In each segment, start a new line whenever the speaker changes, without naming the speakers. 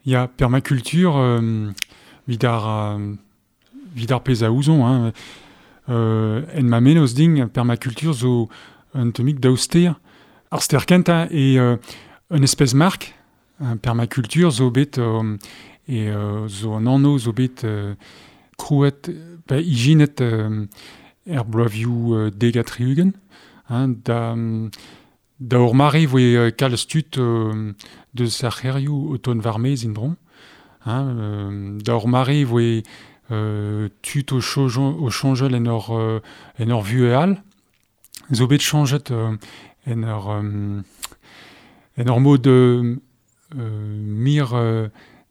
Ya, permaculture, 'vit ar 'vit ar pezh a ouzon, hein, en ma mennozh din, permaculture zo un tammig daou ster. Ar ster kentañ eo un espes mark, permaculture zo bet e zo an anv zo bet krouet pe ijinet er bloavioù dek ha tri-ugent, hein, da da ur mare e voe kalz tud deus ar c'hêrioù o tont war-maez en-dro. Hein, da ur mare e voe tud o o soñjal en ur en ur vuhez all. Zo bet soñjet en ur en ur mod mir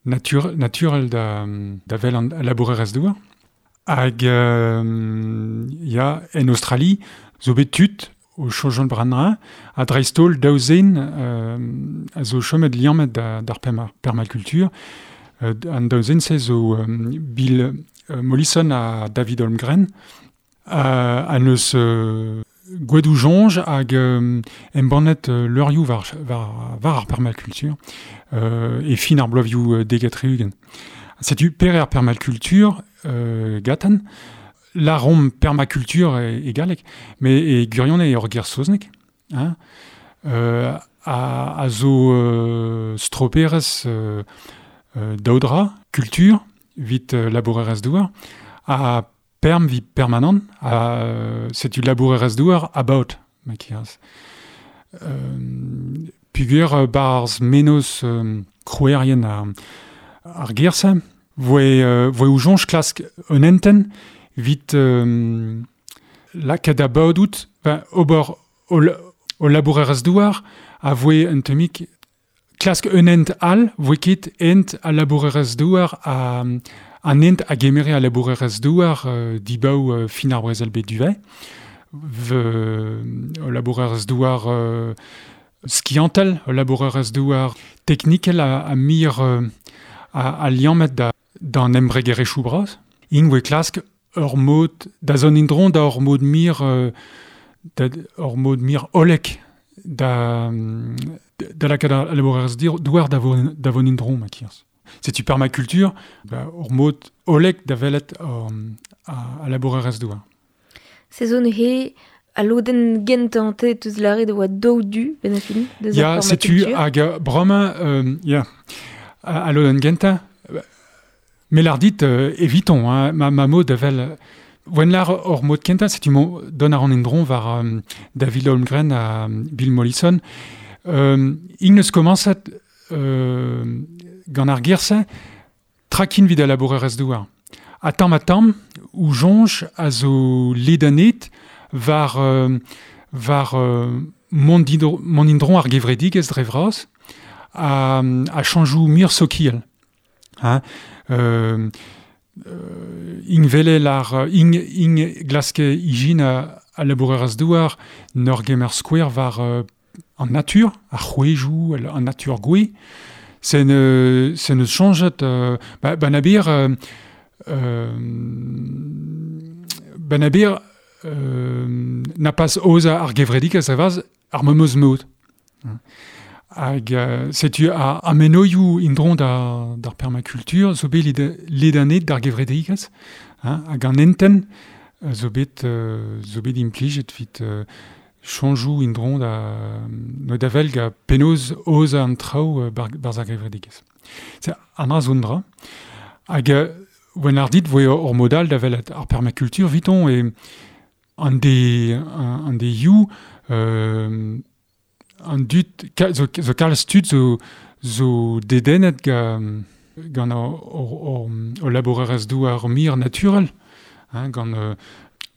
natur naturel da da wel an labourerezh-douar. Hag ya, en Australie zo bet tud o soñjal bremañ ha dreist-holl daou zen a zo chomet liammet d'ar permaculture. An daou zen-se zo Bill Mollison ha David Holmgren a neus gwedoù soñj hag embannet leurioù war, war, war ar permaculture e fin ar bloavioù dek ha tri-ugent. Setu pere ar permaculture gatan, lâromp permaculture e, e galleg, met e gwirionez eo ur ger saozneg, hein, a, a zo stroperezh daou dra, kultur evit labourerezh-douar, ha perm evit permanent, ha setu labourerezh-douar about, ma kiraz. Peogwir 'barzh mennozh krouerien ar ger-se voe voe o soñj klask un hentenn evit lakaat da badout, ober o labourerezh-douar a voe un tammig klask un hent all, voe ket hent al labourerezh-douar an hent a gemere al labourerezh-douar dibaou fin ar brezel-bed du-vae. Ul labourerezh-douar skiantel, ul labourerezh-douar teknikel a mir a liammet d'an embregerezhioù bras. Int voe klask ur mod da zont en-dro da ur mod mir da ur mod mir hollek da da lakaat al labourerezh-douar da vont da vont en-dro ma kirs. Setu permaculture, ba, ur mod hollek da welet al labourerezh-douar.
Se zo neuze al lodenn gentañ te teus lâret e oa daou du benn ar fin deus
ar
Ya,
setu hag bremañ ya, al lodenn gentañ Me lâr dit eviton, hein, ma, ma mod da wel Wenn lâr hor mod kentañ, setu mo dont a ran en-dro war David Holmgren ha Bill Mollison. Int neus komañset gant ar ger-se trakin evit al labourerezh-douar. Ha tamm-ha-tamm, o soñj a zo ledanet war, war mont en-dro ar gevredigezh dre vras ha, ha chañjoù muioc'h sokial. Hein, int 'wele ar int int glaske ijinañ al labourerezh-douar 'n ur gemer skouer war an natur, ar c'hwezhioù, an natur gouez. Se ne se neus soñjet ba ba n'abir ba n'abir na pas aozañ ar gevredigezh a-vras ar memes mod. Hag setu ar menoioù en-dro d'ar permaculture zo bet ledanet d'ar gevredigezh hein, hag an hentenn zo bet zo bet implijet evit soñjoù en-dro da da wel gant penaos aozañ an traoù barzh ar gevredigezh. An dra zo un dra. Hag wenn ar dit voe ur mod all da welet ar permaculture 'viton e an de an deioù an dud zo, zo kalz tud zo zo dedennet gant gant o labourerezh-douar mir naturel hein, gant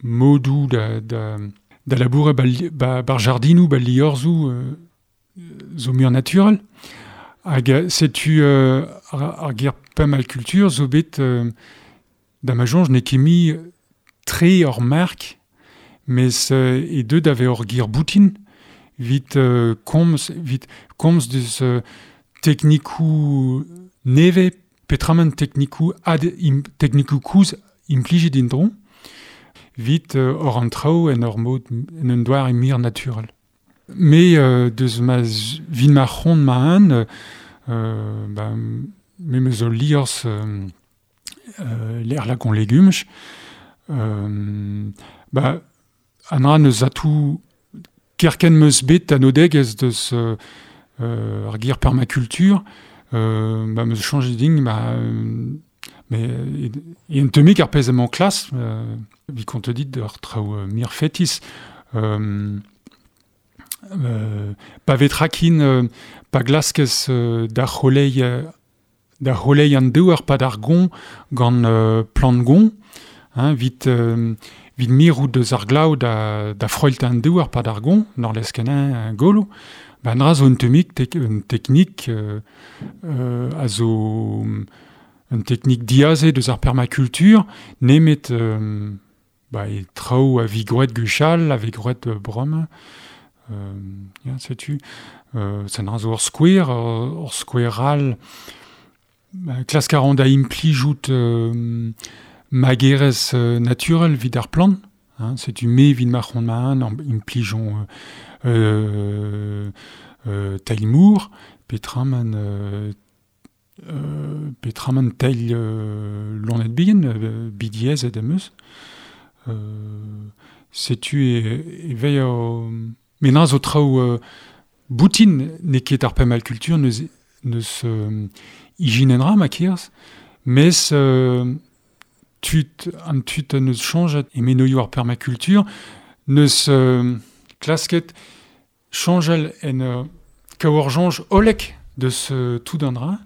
modoù da, da, da labourat ba, ba, bar jardinoù, ba liorzhoù zo muiañ naturel. Hag setu ar, ar ger permaculture zo bet da ma soñj n'eo ket mui tre ur merk, mes e deu da vezañ ur ger boutin evit komz evit komz deus teknikoù nevez peotramant teknikoù ad teknikoù kozh implijet en-dro evit ober an traoù en ur mod en un doare muioc'h naturel. Me deus ma vit ma c'hont ma-un, ba Me meus ul liorzh lec'h lak on legumaj. Ba, an dra n'eus atou kerkent meus bet anodegezh deus ar ger permaculture, ba meus chañjet din, ba, mais e un temik ar pezh emañ klas, vi kontet dit ur traoù mir fetis. Pa vez trakin, pa glaskez da c'holeiñ da c'holeiñ an douar pa d'ar gon gant plant gon, hein, vit, vit mirout deus ar glav da froilt an douar pa d'ar gon, nor leskenañ golo, ba an dra zo un temik un teknik a zo un teknik diaze deus ar permaculture, nemet ba e traoù a vi gwraet gwechall, a vez gwraet bremañ. Ya, setu. Ça dra zo ur skouer, ur skouer all. Klask a ran da implijout magerezh naturel evit ar plant. Hein, setu me evit ma c'hoant ma-un implijon teil mour, petra man teil loened bihan, bidiezet em eus. Setu e vez met na zo traoù boutin n'eo ket ar permaculture neus ijinenn ra ma kerzh, mes tud an tud neus chañjet e menoioù ar permaculture neus klasket chañjal en kaout ur soñj hollek deus tout an dra,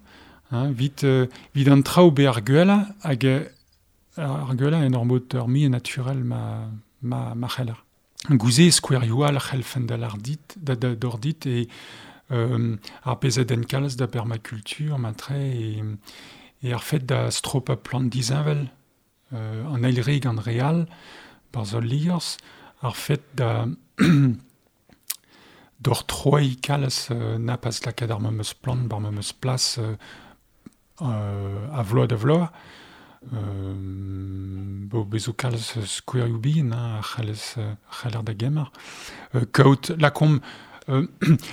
hein, vit, vit an traoù bet ar gwellañ hag ar gwellañ en ur mod ur muiañ naturel ma c'heller. Gouze skouerioù all a c'hellfen da lâr dit, da d'or dit e ar pezh a denn kalz da permaculture matre e ar fed da stropañ plant disheñvel an eil re gant re all barzh ul liorzh, ar fed da d'or troiñ kalz na pas lakaat ar memes plant bar memes plas a vloaz da vloaz. Bo bezo kalz skouerioù bihan hein, a c'hallez a c'haller da gemer. Kaout lakaomp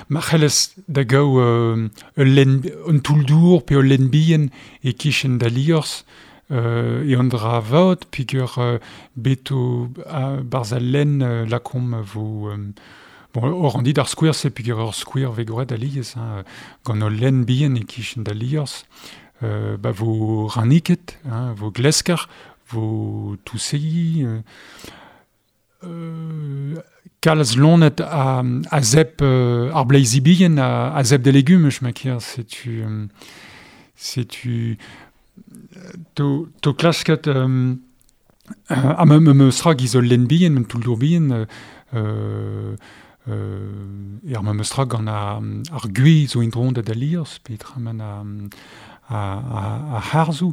ma c'hellez da gaou ul lenn un toull-dour pe ul lenn bihan e-kichen da liorzh e an dra vat peogwir bet o barzh al lenn lakaomp vo bon, oc'h an dit ar skouer-se peogwir ur skouer vez gwraet alies hein, gant ul lenn bihan e-kichen da liorzh. Ba vo ranniket, hein, vo glesker, vo tousegi, kalz loened a zep ar bleizi bihan a zep de legumaj ma ker, setu setu to klasket ha me meus tra giz ul lenn bihan, un toull-dour bihan, er memes tra gant ar gwez zo en-dro da liorzh, petra man a harzoù.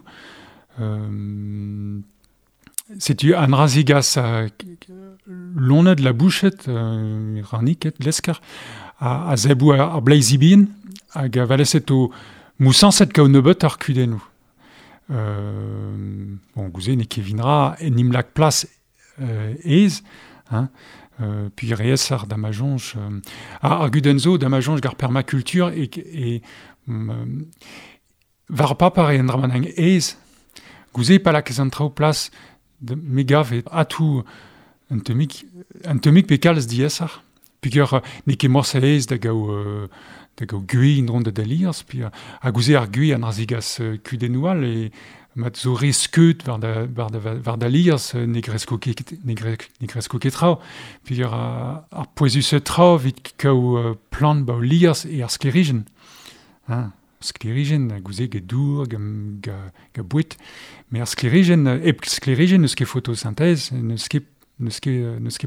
Setu an dra zegas loened labouched, ranniket, lesker, a zebou ar bleizi bihan hag a valeset o mousañset kaout nebeut ar kudennoù. Bon, gouze n'eo ket vinra en im lak plas aes, hein, puis reesar da ma soñj. Ar gudenn zo da ma soñj gant ar permaculture e war paper eo an dra ma aes. Gouze pa lakaez an traoù plas, me gav eo atou un tammig pe kalz diaesoc'h. Peogwir n'eo ket morse aes da gaout da gaout gwez en-dro da liorzh. Puis ha gouze ar gwez an dra zegas kudennoù all e mat zo re skeud war da liorzh ne gresko ket ne gresko ket traoù. Peogwir ar pouezusañ traoù evit kaout plant ba ho liorzh eo ar sklêrijenn. Hein, sklêrijenn gouze get dour, gant boued. Met ar sklêrijenn, hep sklêrijenn n'eus ket photosynthèse, n'eus ket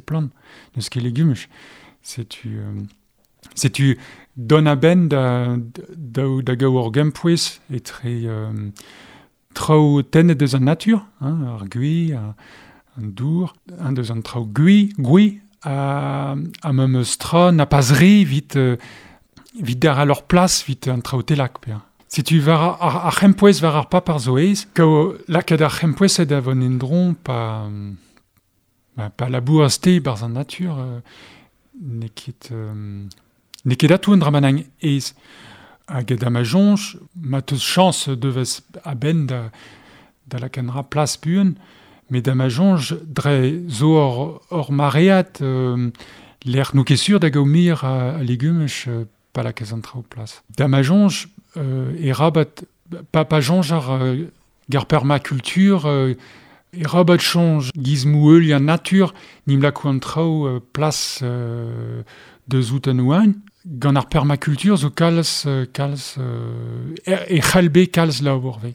plant, n'eus ket legumaj. Setu setu dont a-benn da gaout ur gempouez etre traoù tennet deus an natur, hein, ar gwez, an dour, hein, deus an traoù gwez, ha memes tra na pas re evit evit derc'hel ur plas evit an traoù telak. Pe. Setu war ar c'hempouez war ar paper zo aes, kaout lakaat ar c'hempouezet da vont en-dro pa labouraz te barzh an natur, n'eo ket atav un dra bennak aes. Hag da ma soñj, ma teus chañs devez a-benn da lakaat plas buan, met da ma soñj dre zo ur maread lec'h n'o ket sur da gaout mir a legumaj pa lakez an traoù plas. Da ma soñj e rabat pa soñj ar gar permaculture e rabat soñj giz mou an natur nim lako an traoù plas deus out an oan. Gant ar permaculture zo kalz e c'hallbe kalz labour ve.